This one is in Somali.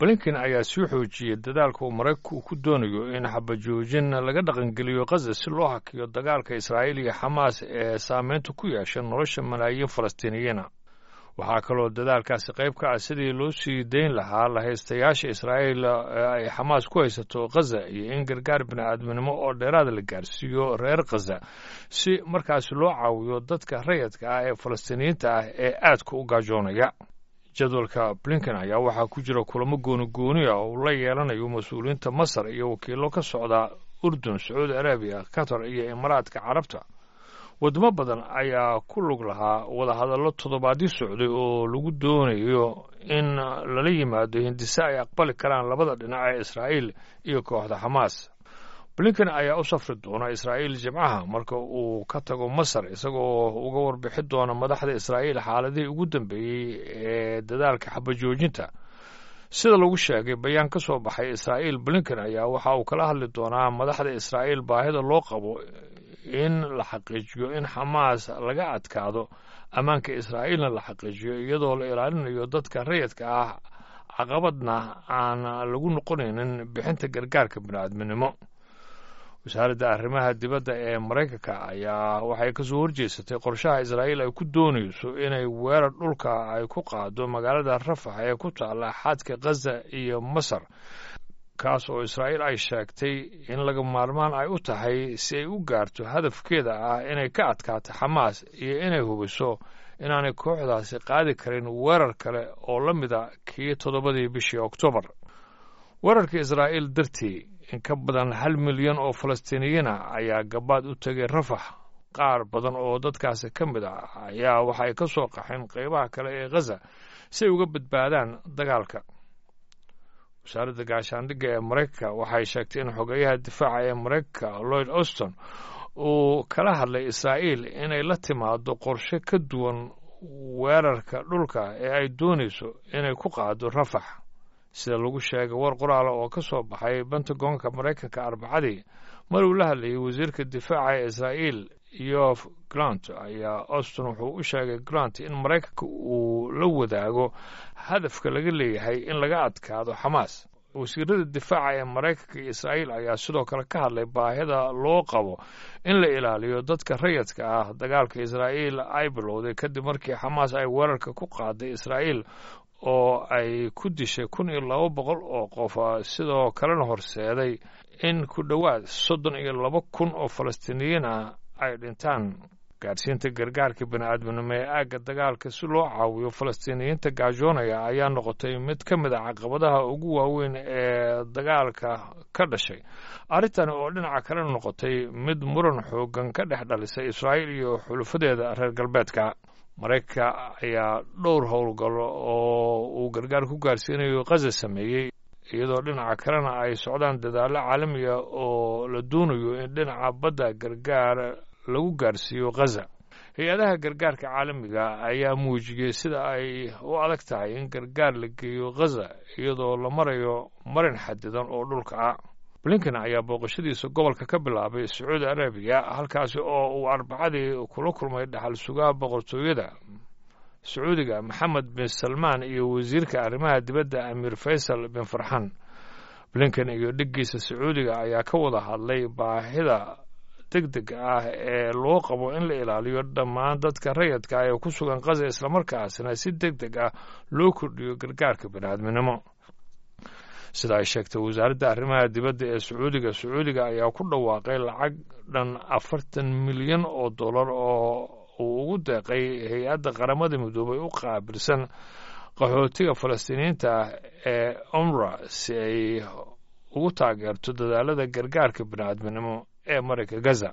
Blinken ayaa sii xoojiyey dadaalka uu Maraykanku ku doonayo in xabajoojin laga dhaqangeliyo Khaza si loo hakiyo dagaalka Israa'iil iyo Xamaas ee saameynta ku yeesha nolosha malaayiin Falastiiniyiina. Waxaa kaloo dadaalkaasi qayb ka ah sidii loo sii dayn lahaa lahaystayaasha Israa'iil ee ay Xamaas ku haysato Khaza iyo in gargaar bini'aadminimo oo dheeraada la gaarsiiyo reer Khaza si markaasi loo caawiyo dadka rayadka ah ee Falastiiniyiinta ah ee aadka u gaajoonaya. Jadwalka Blinken ayaa waxaa ku jira kulamo gooni gooni ah oo uu la yeelanayo mas-uuliyiinta Masar iyo wakiillo ka socda Urdun, Sacuudi Arabiya, Qatar iyo Imaaraadka Carabta. Wadamo badan ayaa ku lug lahaa wadahadallo toddobaadyo socday oo lagu doonayo in lala yimaado hindise ay aqbali karaan labada dhinac ee Israa'iil iyo kooxda Xamaas. Blinken ayaa u safri doona Israa'iil Jimcaha marka uu ka tago Masar, isagoo uga warbixi doona madaxda Israa'iil xaaladihii ugu dambeeyey ee dadaalka xabajoojinta. Sida lagu sheegay bayaan ka soo baxay Israa'iil, Blinken ayaa waxa uu kala hadli doonaa madaxda Israa'iil baahida loo qabo in la xaqiijiyo in Xamaas laga adkaado, ammaanka Israa'iilna la xaqiijiyo iyadoo la ilaalinayo dadka rayadka ah, caqabadna aan lagu noqonaynin bixinta gargaarka bini'aadminimo. Wasaaradda arrimaha dibadda ee Maraykanka ayaa waxay kasoo horjeesatay qorshaha Israa'iil ay ku doonayso inay weerar dhulka ay ku qaado magaalada Rafax ee ku taalla xadka Khaza iyo Masar, kaas oo Israa'iil ay sheegtay in laga maarmaan ay u tahay si ay u gaarto hadafkeeda ah inay ka adkaato Xamaas iyo inay hubiso inaanay kooxdaasi qaadi karin weerar kale oo la mida kii 7dii bishii Oktoobar. Weerarka Israa'iil dartii, in ka badan 1 milyan oo Falastiiniyiina ayaa gabaad u tegay Rafax. Qaar badan oo dadkaasi ka mid ah ayaa waxay ka soo qaxeen qaybaha kale ee Khaza si ay uga badbaadaan dagaalka. Wasaaradda gaashaandhigga ee Maraykanka waxay sheegtay in xogeyaha difaaca ee Maraykanka Lloyd Austin uu kala hadlay Israa'iil inay la timaado qorshe ka duwan weerarka dhulka ee ay doonayso inay ku qaado Rafax. Sida lagu sheegay war qoraala oo ka soo baxay Pentagonka Maraykanka Arbacadii, mar uu la hadlayay wasiirka difaaca ee Israa'iil Yoav Gallant, ayaa Austin wuxuu u sheegay Gallant in Maraykanka uu la wadaago hadafka laga leeyahay in laga adkaado Xamaas. Wasiirada difaaca ee Maraykanka iyo Israa'iil ayaa sidoo kale ka hadlay baahida loo qabo in la ilaaliyo dadka rayadka ah. Dagaalka Israa'iil ay bilowday kadib markii Xamaas ay weerarka ku qaaday Israa'iil oo ay ku dishay 1200 oo qof, sidoo kalena horseeday in ku dhowaad 32,000 oo Falastiiniyiin ah ay dhintaan. Gaadhsiinta gargaarka bini'aadminimo ee aagga dagaalka si loo caawiyo Falastiiniyiinta gaajoonaya ayaa noqotay mid ka mid a caqabadaha ugu waaweyn ee dagaalka ka dhashay. Arrintani oo dhinaca kale noqotay mid muran xoogan ka dhex dhalisay Israa'iil iyo xulufadeeda reer galbeedka. Maraykanka ayaa dhowr howlgallo oo uu gargaar ku gaarsiinayo Khaza sameeyey, iyadoo dhinaca kalena ay socdaan dadaallo caalamiya oo la doonayo in dhinaca badda gargaar lagu gaarsiiyo Khaza. Hay-adaha gargaarka caalamiga ayaa muujiyey sida ay u adag tahay in gargaar la geeyo Khaza iyadoo la marayo marin xadidan oo dhulka ah. Blinken ayaa booqashadiisa gobolka ka bilaabay Sacuudi Arabiya, halkaasi oo uu Arbacadii kula kulmay dhaxal sugaha boqortooyada Sacuudiga Maxamed bin Salmaan iyo wasiirka arrimaha dibadda Amiir Faysal bin Farxan. Blinken iyo dhiggiisa Sacuudiga ayaa ka wada hadlay baahida degdeg ah ee loo qabo in la ilaaliyo dhammaan dadka rayadka ah ee ku sugan Khaza, islamarkaasna si deg deg ah loo kordhiyo gargaarka bini'aadminimo. Sida ay sheegtay wasaaradda arrimaha dibadda ee Sacuudiga, Sacuudiga ayaa ku dhawaaqay lacag dhan 40 milyan oo dollar oo uu ugu deeqay hay-adda Qaramada Midoobay u qaabilsan qaxootiga Falastiiniyiinta ee UNRWA si ay ugu taageerto dadaalada gargaarka bini'aadminimo ee marayka Gaza.